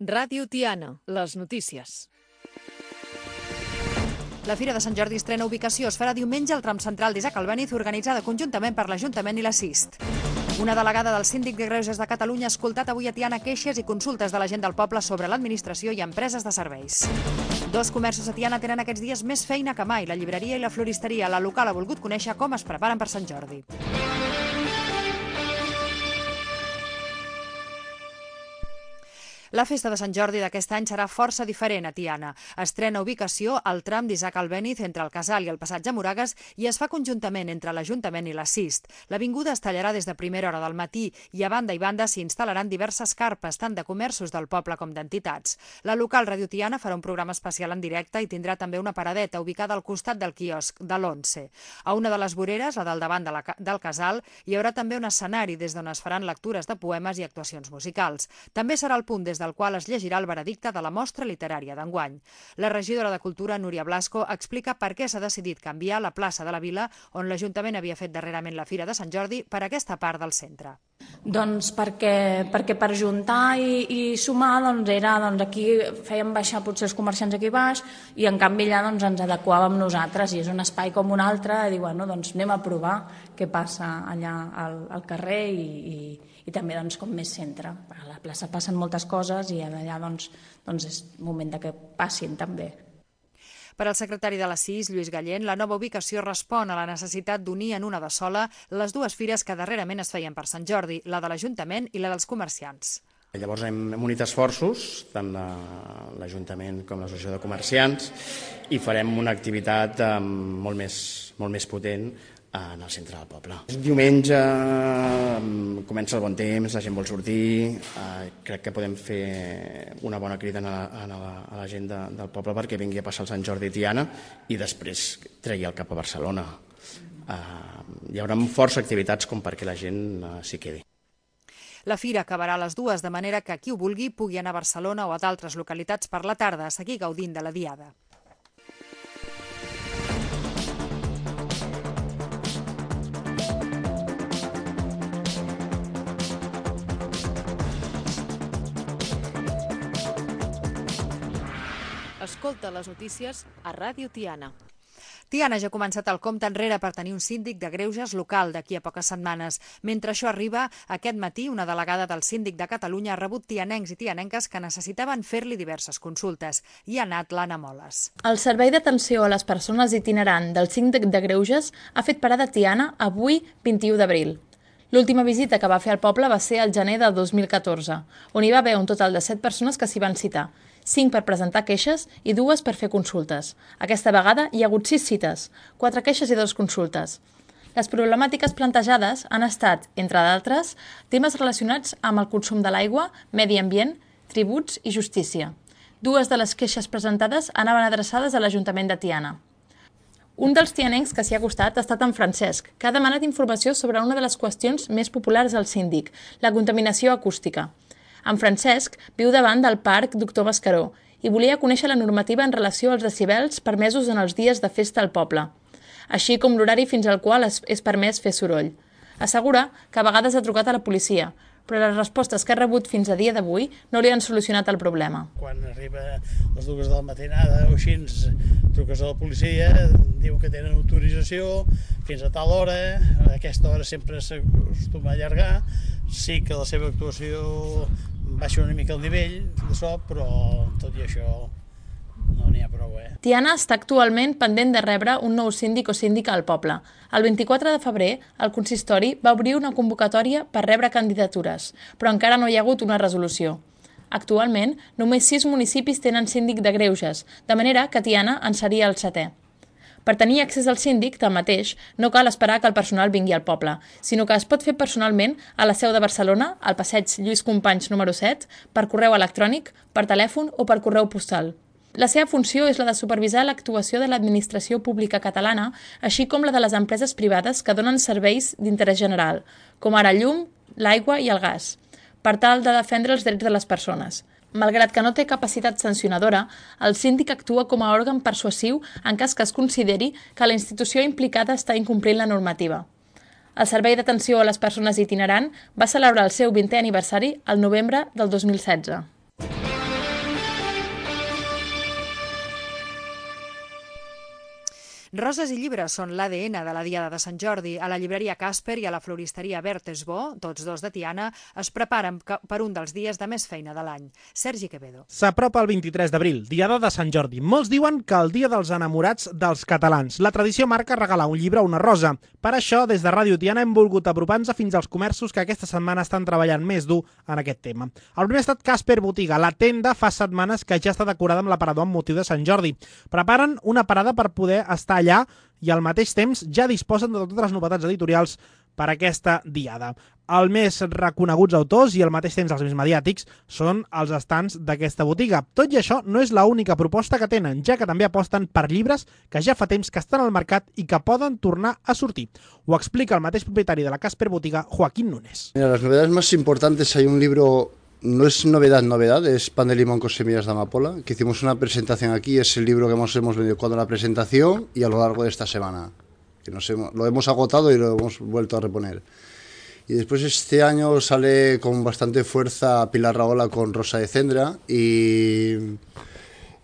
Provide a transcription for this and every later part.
Ràdio Tiana, les notícies. La Fira de Sant Jordi estrena ubicació. Es farà diumenge al tram central d'Isaac Albéniz, organitzada conjuntament per l'Ajuntament i la CIST. Una delegada del Síndic de Greuges de Catalunya ha escoltat avui a Tiana queixes i consultes de la gent del poble sobre l'administració i empreses de serveis. Dos comerços a Tiana tenen aquests dies més feina que mai, la llibreria i la floristeria. La local ha volgut conèixer com es preparen per Sant Jordi. La festa de Sant Jordi d'aquest any serà força diferent a Tiana. Estrena ubicació al tram d'Isaac Albéniz entre el Casal i el Passatge Moragues i es fa conjuntament entre l'Ajuntament i la CIST. L'avinguda es tallarà des de primera hora del matí i a banda i banda s'hi instal·laran diverses carpes, tant de comerços del poble com d'entitats. La local Ràdio Tiana farà un programa especial en directe i tindrà també una paradeta ubicada al costat del quiosc de l'11. A una de les voreres, la del davant del Casal, hi haurà també un escenari des d'on es faran lectures de poemes i actuacions musicals. També serà el punt des del qual es llegirà el veredicte de la mostra literària d'enguany. La regidora de Cultura, Núria Blasco, explica per què s'ha decidit canviar la plaça de la Vila, on l'Ajuntament havia fet darrerament la Fira de Sant Jordi, per aquesta part del centre. Doncs perquè per juntar i sumar era aquí fèiem baixar potser els comerciants aquí baix i en canvi allà ens adequàvem nosaltres i és un espai com un altre i dir, anem a provar què passa allà al carrer i també com més centre. A la plaça passen moltes coses i allà és moment que passin també. Per al secretari de la CIS, Lluís Gallent, la nova ubicació respon a la necessitat d'unir en una de sola les dues fires que darrerament es feien per Sant Jordi, la de l'Ajuntament i la dels comerciants. Llavors hem unit esforços, tant l'Ajuntament com l'Associació de Comerciants, i farem una activitat molt més potent en el centre del poble. Diumenge comença el bon temps, la gent vol sortir, crec que podem fer una bona crida a la gent del poble perquè vingui a passar el Sant Jordi a Tiana i després tregui el cap a Barcelona. Hi haurà força activitats com perquè la gent s'hi quedi. La fira acabarà a les 2, de manera que qui ho vulgui pugui anar a Barcelona o a d'altres localitats per la tarda a seguir gaudint de la diada. Escolta les notícies a Ràdio Tiana. Tiana ja ha començat el compte enrere per tenir un síndic de greuges local d'aquí a poques setmanes. Mentre això arriba, aquest matí una delegada del Síndic de Catalunya ha rebut tianencs i tianenques que necessitaven fer-li diverses consultes. I ha anat l'Anna Moles. El Servei d'Atenció a les Persones Itinerant del Síndic de Greuges ha fet parada a Tiana avui, 21 d'abril. L'última visita que va fer al poble va ser al gener del 2014, on hi va haver un total de 7 persones que s'hi van citar, 5 per presentar queixes i 2 per fer consultes. Aquesta vegada hi ha hagut 6 cites, 4 queixes i 2 consultes. Les problemàtiques plantejades han estat, entre d'altres, temes relacionats amb el consum de l'aigua, medi ambient, tributs i justícia. 2 de les queixes presentades anaven adreçades a l'Ajuntament de Tiana. Un dels tianencs que s'hi ha acostat ha estat en Francesc, que ha demanat informació sobre una de les qüestions més populars del síndic, la contaminació acústica. En Francesc viu davant del Parc Doctor Mascaró i volia conèixer la normativa en relació als decibels permesos en els dies de festa al poble, així com l'horari fins al qual és permès fer soroll. Assegura que a vegades ha trucat a la policia, però les respostes que ha rebut fins a dia d'avui no li han solucionat el problema. Quan arriba a les 2 de la matinada o així, truques a la policia, diu que tenen autorització fins a tal hora, a aquesta hora sempre s'acostuma a allargar, sí que la seva actuació baixa una mica el nivell de so, però tot i això no n'hi ha prou. Tiana està actualment pendent de rebre un nou síndic o síndica al poble. El 24 de febrer, el consistori va obrir una convocatòria per rebre candidatures, però encara no hi ha hagut una resolució. Actualment, només 6 municipis tenen síndic de greuges, de manera que Tiana en seria el 7è. Per tenir accés al síndic, tanmateix, no cal esperar que el personal vingui al poble, sinó que es pot fer personalment a la seu de Barcelona, al passeig Lluís Companys número 7, per correu electrònic, per telèfon o per correu postal. La seva funció és la de supervisar l'actuació de l'administració pública catalana, així com la de les empreses privades que donen serveis d'interès general, com ara el llum, l'aigua i el gas, per tal de defendre els drets de les persones. Malgrat que no té capacitat sancionadora, el síndic actua com a òrgan persuasiu en cas que es consideri que la institució implicada està incomplint la normativa. El Servei d'Atenció a les Persones Itinerant va celebrar el seu 20è aniversari el novembre del 2016. Roses i llibres són l'ADN de la Diada de Sant Jordi. A la llibreria Casper i a la floristeria Bertesbo, tots dos de Tiana, es preparen per un dels dies de més feina de l'any. Sergi Quevedo. S'apropa el 23 d'abril, Diada de Sant Jordi. Molts diuen que el dia dels enamorats dels catalans. La tradició marca regalar un llibre o una rosa. Per això, des de Ràdio Tiana hem volgut apropar-nos fins als comerços que aquesta setmana estan treballant més dur en aquest tema. El primer ha estat Casper Botiga. La tenda fa setmanes que ja està decorada amb l'aparador amb motiu de Sant Jordi. Preparen una parada per poder estar allà i al mateix temps ja disposen de totes les novetats editorials per aquesta diada. Els més reconeguts autors i al mateix temps els més mediàtics són els estants d'aquesta botiga. Tot i això no és l'única proposta que tenen, ja que també aposten per llibres que ja fa temps que estan al mercat i que poden tornar a sortir. Ho explica el mateix propietari de la Casper Botiga, Joaquín Núñez. Mira, las novedades más importantes, hay un libro, no es novedad, es Pan de limón con semillas de amapola, que hicimos una presentación aquí, es el libro que hemos vendido cuando la presentación y a lo largo de esta semana. Que lo hemos agotado y lo hemos vuelto a reponer. Y después este año sale con bastante fuerza Pilar Rahola con Rosa de Cendra y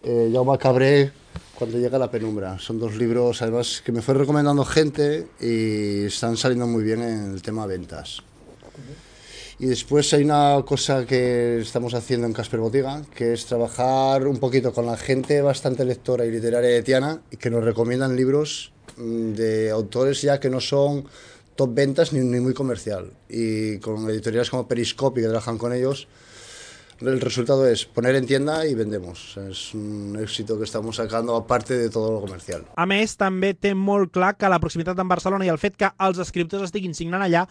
Jaume Cabré cuando llega la penumbra. Son dos libros además que me fue recomendando gente y están saliendo muy bien en el tema ventas. Y después hay una cosa que estamos haciendo en Casper Botiga, que es trabajar un poquito con la gente bastante lectora y literaria de Tiana y que nos recomiendan libros de autores ya que no son top ventas ni muy comercial. Y con editoriales como Periscope, que trabajan con ellos, el resultado es poner en tienda y vendemos. És un èxit que estamos sacando aparte de todo lo comercial. A més, també té molt clar que la proximitat amb Barcelona i el fet que els escriptors estiguin signant allà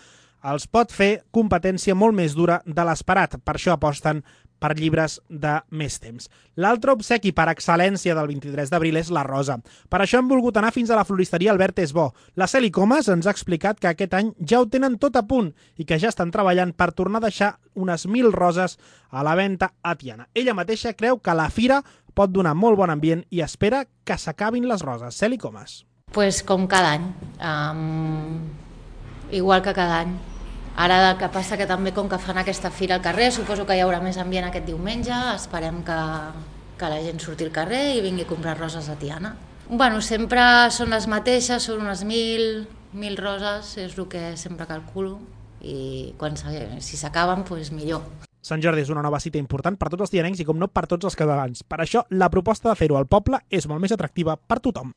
els pot fer competència molt més dura de l'esperat. Per això aposten per llibres de més temps. L'altre obsequi per excel·lència del 23 d'abril és la rosa. Per això hem volgut anar fins a la floristeria Albert Esbó. La Celi Comas ens ha explicat que aquest any ja ho tenen tot a punt i que ja estan treballant per tornar a deixar unes 1.000 roses a la venda a Tiana. Ella mateixa creu que la fira pot donar molt bon ambient i espera que s'acabin les roses. Celi Comas. Pues com cada any, igual que cada any. Ara el que passa que també com que fan aquesta fira al carrer, suposo que hi haurà més ambient aquest diumenge, esperem que la gent surti al carrer i vingui a comprar roses a Tiana. Bueno, sempre són les mateixes, són unes 1.000 roses, és el que sempre calculo, i si s'acaben, doncs millor. Sant Jordi és una nova cita important per tots els tianencs i com no per tots els catalans. Per això la proposta de fer-ho al poble és molt més atractiva per tothom.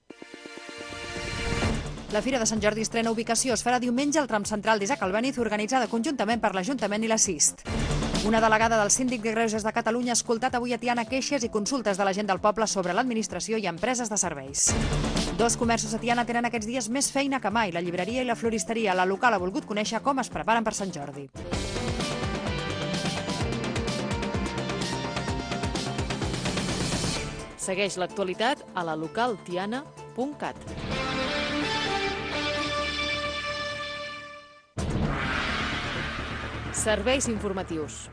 La Fira de Sant Jordi estrena ubicació. Es farà diumenge al tram central d'Isaac Albéniz, organitzada conjuntament per l'Ajuntament i la CIST. Una delegada del Síndic de Greuges de Catalunya ha escoltat avui a Tiana queixes i consultes de la gent del poble sobre l'administració i empreses de serveis. Dos comerços a Tiana tenen aquests dies més feina que mai, la llibreria i la floristeria. La local ha volgut conèixer com es preparen per Sant Jordi. Segueix l'actualitat a la localtiana.cat. Serveis informatius.